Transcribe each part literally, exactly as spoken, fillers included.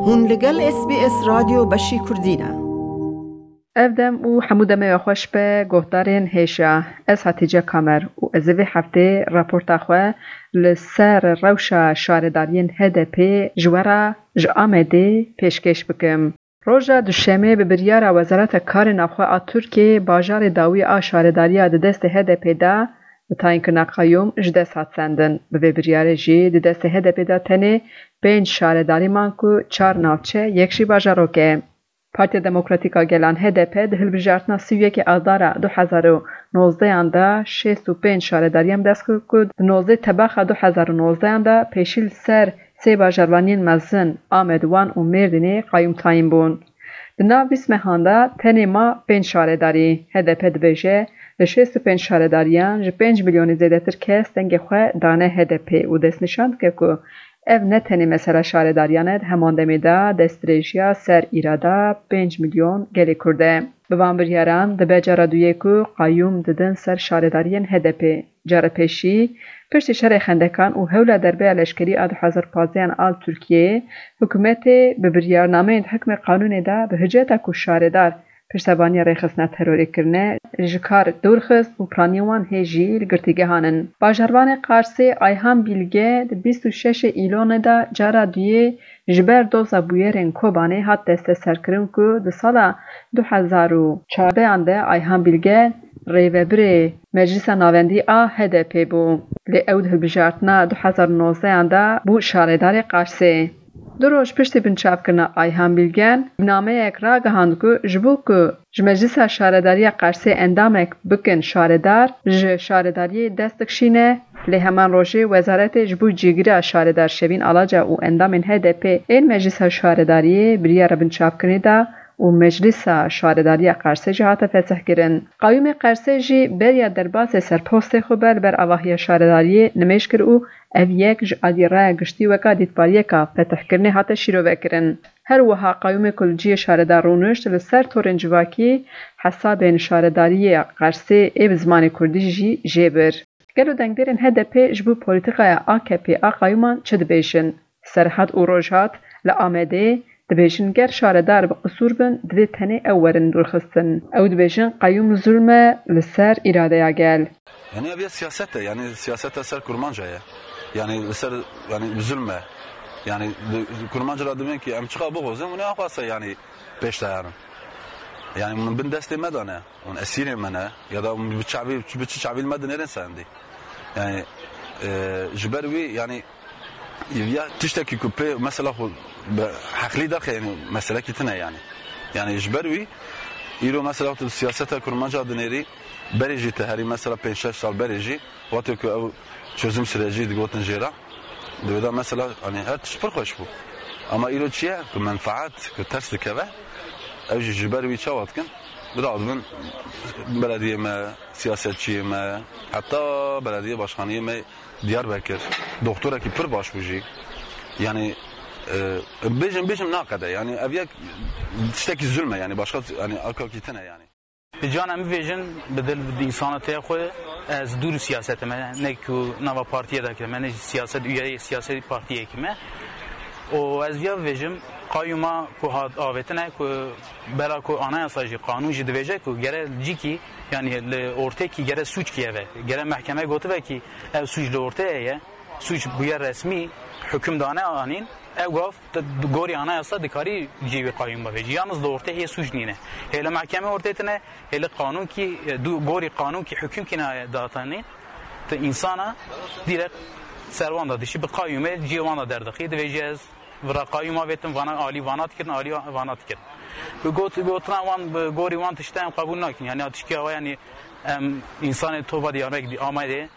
Hûn li gel S B S Radyo Beşî Kurdî ne. Ev dem û hemû demê we xweş be, guhdarên hêja. Ez Hatîce Kamer û ez ê vê heftê raporta xwe li ser rewşa şaredariyên H D P ji we re ji Amedê pêşkêş bikim. Roja Duşemê bi biryara Wezareta Karê Navxwe a Tirkiyê bajarê dawî a şaredariya di destê H D P de bi tayînkirina qeyûm ji dest hat sendin. Bi vê biryarê jî di destê H D P de tenê pênc şaredarî man ku çar navçe, yek jî bajarok e. Partiya Demokratîk a Gelan H D P di hilbijartina sî û yekê Adara du hezar û nozdehan de şêst û pênc şaredariyan bi dest xist ku di nozdeh tebaxa du hezar û nozdehan de pêşî li ser sê bajarvaniyên mezin Amed, Wan û Mêrdînê qeyûm tayîn bûn. Di nav bîst mehan de tenê ma pênc şaredarî. H D P dibêje, li şêst û pênc şaredariyan ji pênc milyonê zêdetir kes dengê xwe dane H D P û destnîşan dike ku ev ne tenê mesela şaredariyan e, di heman demê de destdirêjiya ser îrada pênc milyon gelê Kurd e. Bi van biryaran dibe cara duyê ku qeyûm didin ser şaredariyên H D P. Cara pêşî, piştî şerê Xendekan û hewla derbeya leşkerî a du hezar pazdeh an a li Tirkiyeyê, hikûmetê bi biryarnameyên di hikmê qanûnê de bi hiceta ku şaredar piştevaniya rêxistina terorê kirine, ji kar dûr xist û piraniyên wan hê jî li girtîgehan in. Bajarvanê Qarsê Ayhan Bîlge di bîst û şeşê Îlonê de cara duyê ji ber doza bûyerên Kobanê hat desteserkirin ku di sala du hezar û çardeh an de Ayhan Bîlge rêvebirê Meclisa Navendî a H D P bû. Lê ew di hilbijartina du hezar û nozdeh an de bû şaredarê Qarsê. Du roj piştî binçavkirina Ayhan Bîlgen, nameyek ragihand ku ji bo ku ji Meclisa Şaredariya Qarsê endamek bikin şaredar, ji şaredariyê dest dikişîne, lê heman rojê wezaretê ji bo cîgira şaredar Şevîn Alaca û endamên H D P ên Meclisa Şaredariyê biryara binçavkirinê da û Meclisa Şaredariya Qarsê jî hate fesihkirin. Qeyûmê Qarsê jî beriya derbasê serpostê xwe be li ber avahiya şaredariyê nimêj kir û ev yek ji alî raya giştî weka dîtbariyeka fetihkirinê hate şîrovekirin. Her wiha qeyûmê ku li cihê şaredar rûnişt, li ser torên civakî hesabên şaredariyê Qarsê ê bi zimanê kurdî jî jê bir. Gelo dengdêrên H D P ji bo polîtîkaya A K P a qeyûman çi dibêjin? Serhat û Rojhat li Amedê dibêjin, ger şaredar bi qisûr bin, divê tenê ew werin dûrxistin. Ew dibêjin, qeyûm zulm e li ser îradeya gel. Yani ev ya siyaset e, yani siyaseta ser kurmanca ye. Yani li ser, yani zulm e. Yani di-, kurmanca ra dibên ki em çiqa bixwazin, û ne axwasa yani pêş dayarin. Yani hûn bin destê me de ne, hûn esîrê me ne, ya da hûn bi çavî, bi çi çavî li me dinêrin sendî. Yani, e, ji ber wî, yani, ya tiştekî ku pê mesela xwe bi heqlî derxe, yani meselekî tune yani. Yani ji ber wî, îro mesela tu siyaseta kurmanca dinêrî, berê jî te herî mesela pênc şeş sal berê jî, wextê ku ew çözüm sürecî digotin jê re, di wê de mesela, hani her tişt pir xweş bû. Ama îro çi ye? Ku menfaat, ku ters dikeve, ew jî ji ber wî çawa dikin? Bira dibin belediyê me, siyasetçiyê me, heta belediye başkaniyê me Diyarbekir. Doktorekî pir baş bû jî. Yani, e, bêjim, bêjim naqede. Yani ev yek tiştekî zulm e yani. Başka yani akakî tine yani. Bi cana min vêjin, bi dil, bi însana tê xwe, ez dûr siyasetê me, ne ku nava partiyê de kime, ne jî siyaset, üyeyê siyasî partiyê kime. Û ez viya vêjim, qayûma ku hat avêtine, ku bela ku anayasa jî, qanûn jî dibêje ku gere cîkî, yani li ortê kî gere sûc kî eve, gere mehkeme gotive kî ev sûc li ortê ye, sûc bûye resmî, huküm dane anîn, ew gav Di, di gorî anayasa dikarî cî wî qayûm bivêjî. Yalnız li ortê hê sûc nîne. Hê li mehkemê ortê tine, hê li qanûn kî, e, du, gorî qanûn kî huküm kî nayê datanî, tu însana direkt ser wan da dişî, bi qayûmê cî wan da derdixî, divêjî ez vira qayûma vêtim, vana alî vana dikirin, alî vana dikirin. Bi got, gotina wan, bi gorî wan tişte em qebûl nakin. Yani tişkî awa yani em însanê tova Diyarbekir Amedê,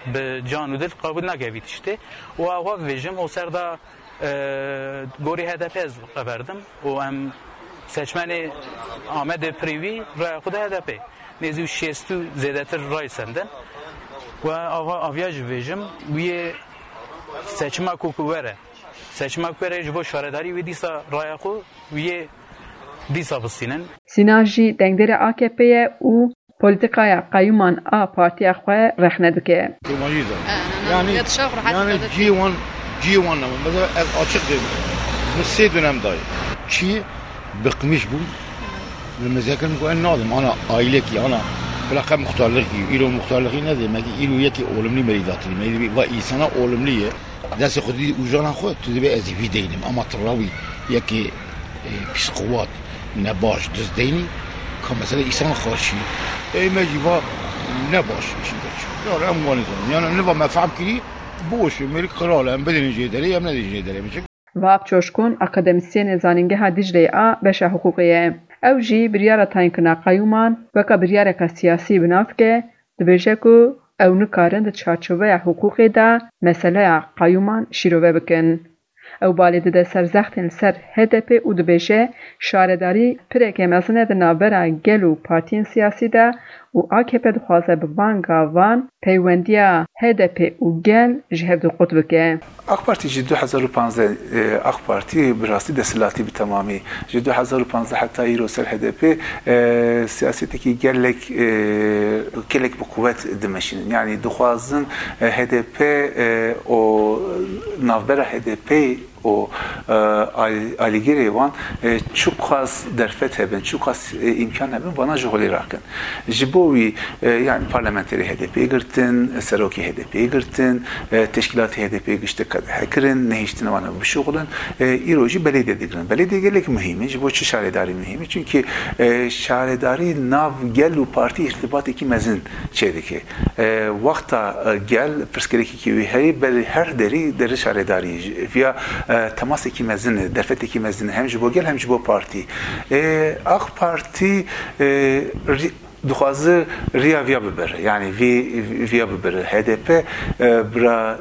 bi can û dil qebûl nake vî tiştê. Û ew xwe bibêjim, û ser de, e, gorî H D P ez qeverdim û em seçmenê Amedê pirî wî raya xwe de H D P. Nêzî û şêst û zêdetir ray sendin. Û ava, aviya jî bibêjim, wî yê seçima ku, ku were. Seçima ku were ji bo şaredarî wî dîsa raya xwe wî yê dîsa bistînin. Sîna jî dengdêrê A K P ye û polîtîkaya qeyûman a partiya xwe rexne dike. Kurmancî de. Yani, yani cî wan, cî wan ne. Mesela ez açık dedim. Min sê dönem dayê. Çi? Bıkmış bûm. Min mezek kirin ku ez nadim. Ana ailekî, ana bila qe muxtarlixî, îro muxtarlixî ne demekî, îro yekî olumlu merî datirî. Me va însana olumlu ye. Destê xwe dî û jana xwe, tu dibê ez ê vî deynim. Ama tu rawî yekê, e, pîsquwat, nebaş, duz deynî, ka mesele însana qarşî. Ey me jî va nebaş, işin geç. Ya em wanî zanin. Yani niva me fehm kirî, boş, mêrik qral, em bidin jê derê, em nedin jê derê. Vap Coşkun, akademîsyenê Zanîngeha Dîcleyê a beşa hiqûqê ye. Ew jî biryara tayînkirina qeyûman weke biryareke siyasî bi nav dike, dibêje ku ew nikarin di çarçoveya hiqûqê de meseleya qeyûman şîrove bikin. Ew balê dide ser zextên li ser H D P û dibêje, şaredarî pireke mezin e di navbera gel û partiyên siyasî de û A K P dixwaze bi van gavan peywendiya H D P û gel ji hev du qut bike. AK Partî ji du hezar û panzdeh, e, AK Partî bi rastî desthilatî bi temamî. Ji du hezar û panzdeh heta îro ser H D P, e, siyasetekî gelek, e, gelek bi quwet dimeşînin. Yanî dixwazin, e, H D P, e, û navbera H D P û, e, al-, alîgirê wan, e, çiqas derfet hebin, çiqas, e, îmkan hebin, vana ji holê rakin. Ji bo wî, e, yani parlamenterê H D P girtin, serokê H D P girtin, e, teşkilatê H D P gişte qedexe kirin, nehiştin wana bişuxulin. E, îro jî belediye digirin. Belediye gelek muhîm e. Ji bo çi şaredarî muhîm e? Çünkü, e, şaredarî nav gel û partî îrtibatekî mezin çêdike. E, wexta, e, gel pirsgirêkekî wî heye, berî her derî deri şaredarî. Viya, e, temasekî mezin e, derfetekî mezin e. Hem ji bo gel hem ji bo partî. E, AK Partî, e, rî-, dixwaze riya viya bibire, yani vî, viya bibire. H D P, e, bira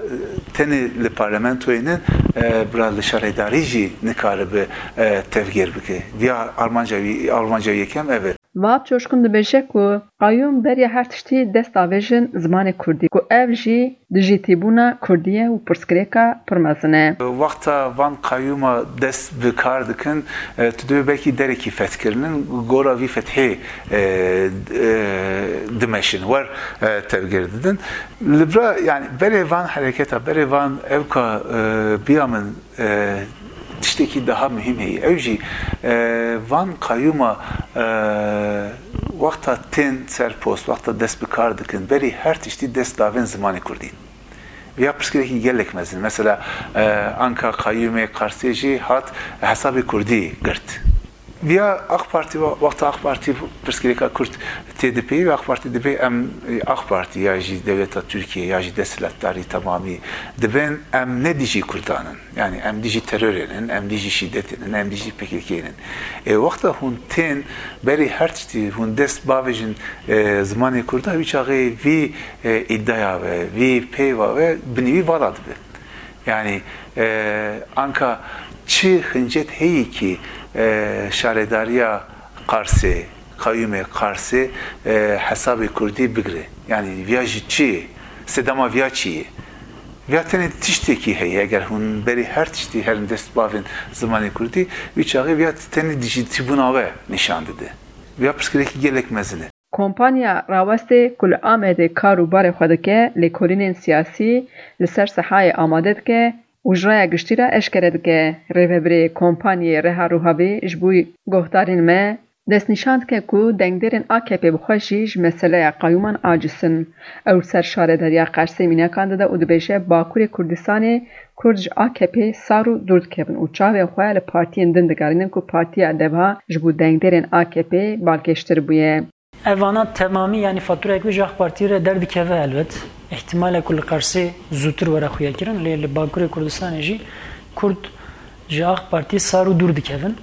tenê li parlamentoyê nin, e, bira li şaredarî jî nikaribe, e, tevgêr bike. Viya armanca wî, armanca yekem ev e. Vap Coşkun dibêje ku qayûm beriya her tiştî dest davêjin zimanê kurdî, ku ev jî dijîtîbûna kurdî ye û pirsgirêka pir mezin e. Wexta van qayûma dest bi kar dikin, e, tu dibê belkî derekî fethkirinin, gora vî fethê, e, e, dimeşin, wer, e, tevgêr didin. Li bira, yani berê van hereketa, berê van ewka, e, biya min, e, tiştekî daha muhîm heye. Ew jî, e, van qayûma, e, wexta tên ser post, wexta dest bi kar dikin, berî her tiştî dest davên zimanê kurdî. Viya pirsgirêkî gelek mezin. Mesela, e, anka qayûmê Qarsê jî hat hesabê kurdî girt. Viya AK Partî, wexta AK Partî pirsgirêka kurd tê dipeyivê, AK Partî dibê em, e, AK Partî ya jî dewleta Tirkiye ya jî desthilatdarî temamî dibên, em ne dijî kurdan in. Yani em dijî terorê nin, em dijî şîdetê nin, em dijî P K K nin. E, wexta hûn tên berî her tiştî hûn dest bavêjin, e, zimanê kurda, wî çaxê vî, e, îdaya ve, vî peyva ve binî wî vala dibe. Yani, e, anka çi hincet heyî kî, e, şaredariya Qarsê, qayûmê Qarsê, e, hesabê kurdî bigire. Yani viya jî çi ye? Sedema viya çi ye? Viya tenê tiştekî heye, eger hûn berî her tiştî herin dest bavên zimanê kurdî, wî çaxê viya tenê dijîtîbûna we nîşan dide. Viya pirsgirêkî gelek mezin e. Kompanya Rawestê ku li Amedê kar û barê xwe dike, lêkolînên siyasî li ser sehayê amade dike û ji raya giştî re eşkere dike. Rêvebirê Kompanyê Reha Ruhavî ji bo guhdarên me destnîşan dike ku dengdêrên A K P bi xwe jî ji meseleya qayûman aciz in. Ew li ser şaredariya Qersê mînakan dide û dibêje, Bakurê Kurdistanê Kurd ji A K P sar û dûr dikevin û çavên xwe li partiyên din digerînin ku partiya DEVA ji bo dengdêrên A K P balkêştir bûye. Ev vana temamî, yanî faturayek wê ji AK Partî re derdikeve helbet. Îhtimalek ku li Qersê zûtir were xuyakirin, lê li Bakurê Kurdistanê jî Kurd ji AK Partî sar û dûr dikevin.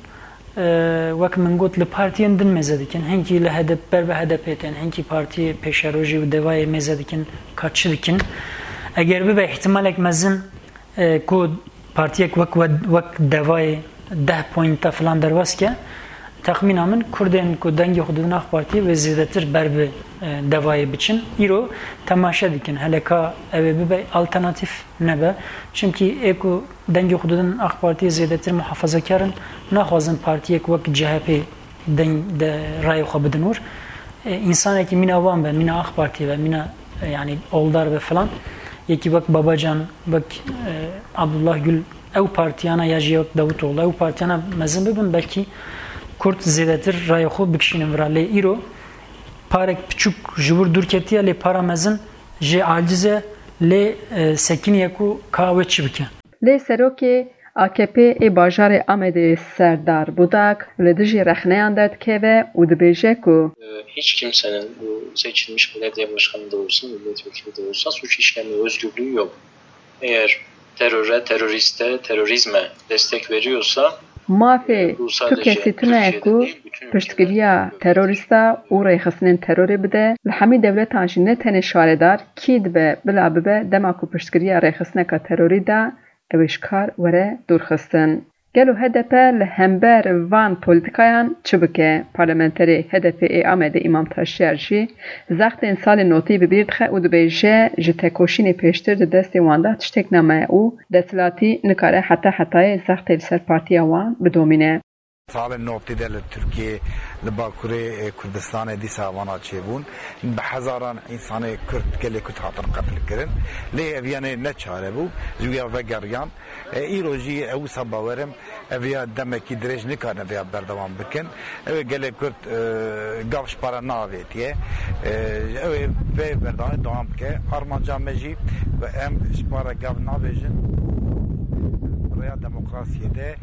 E, wek min got, li partiyên din mêze dikin. Hinkî li H D P, ber bi H D P tên, hinkî partiyê pêşerojî û DEVAyê mêze dikin, ka çi dikin. Eger bibe îhtimalek mezin, e, ku partiyek wek, wek, wek DEVAyê deh poynta filan derbas ke, texmîna min, Kurdên ku dengê xwe didin AK Partiyê wê zêdetir ber bi, e, DEVAyê biçin. Îro temaşe dikin, hele ka ew ê bibe alternatîf nebe. Çimkî ê ku dengê xwe didin AK Partiyê zêdetir muhafazakar in, naxwazin partiyek wek C H P deng de rayê xwe bidin wir. E, însanekî mîna wan be, mîna AK Partî be, mîna, e, yanî oldar be filan, yekî wek Babacan, wek, e, Abdullah Gül Ew partiyana ya jî wek Davutoğlu, ew partiyana mezin bibin, belkî Kurd zêdetir rayê xwe bikişînin vira. Lê îro parek piçûk ji wir dûr ketiye, lê para mezin jê aciz e, lê, e, sekiniye ku ka wê çi bike. Lê serokê A K P ê bajarê Amedê Serdar Budak li dijî rexneyan derdikeve û dibêje ku Hiç kimsenin, bu seçilmiş belediye başkanı da olsa, milletvekili de olsa, suç işleme özgürlüğü yok. Eğer teröre, teröriste, terörizme destek veriyorsa, Mafê tu kesî tune ye ku piştgiriya terorîsta û rêxistinên terorê bide, li hemî dewletan jî ne tenê şaredar, kî dibe bila bibe, dema ku piştgiriya rêxistineka terorî da, ew ê ji kar were dûrxistin. Gelo H D P li hember van polîtîkayan çi bike? Parlamenterê H D P ê Amedê Îmam Taşyar jî zextên salên notî bi bîr dixe û dibêje, ji tekoşînê pêştir di destê wan de tiştek nemaye û desthilatî nikare heta hetayê zextê li ser partiya wan bidomîne. Salên notî de li Tirkiyê, li Bakurê, e, Kurdistanê dîsa vana çêbûn. Bi hezaran însanê Kurd, gelê Kurd hatin qetilkirin. Lê ev yanê ne çare bû, ji wî ya vegeriyan. E, îro jî ew wisa bawerim, ev ya demekî dirêj nikarin ev ya berdewam bikin. Ew ê gelê Kurd, e, gav ji para neavêtiye. E, ew ê vê berdewamê dewam bike. Armanca me jî ku em ji para gav navêjin, rêya demokrasiyê de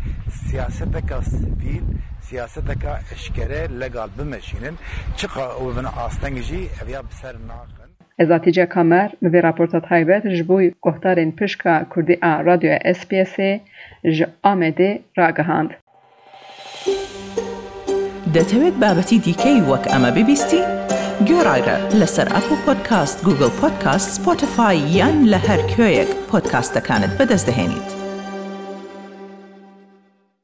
siyaseteka sivîl, siyaseteka eşkere, legal bimeşînin. Çiqa û bin asteng jî ev ya bi ser naxin. Ez Hatice Kamer, bi vê raporta taybet ji bo guhdarên pişka Kurdî a Radyoya S B S'ê ji Amedê ragihand. دەتەوێت بابەتی دیکەی وەک ئەمە ببیستی؟ گوێڕایرە لەسەر ئەپڵ پۆدکاست، گوگڵ پۆدکاست، سپۆتیفای یان لە هەر کوێیەک پۆدکاستەکانت بەدەست دەهێنیت.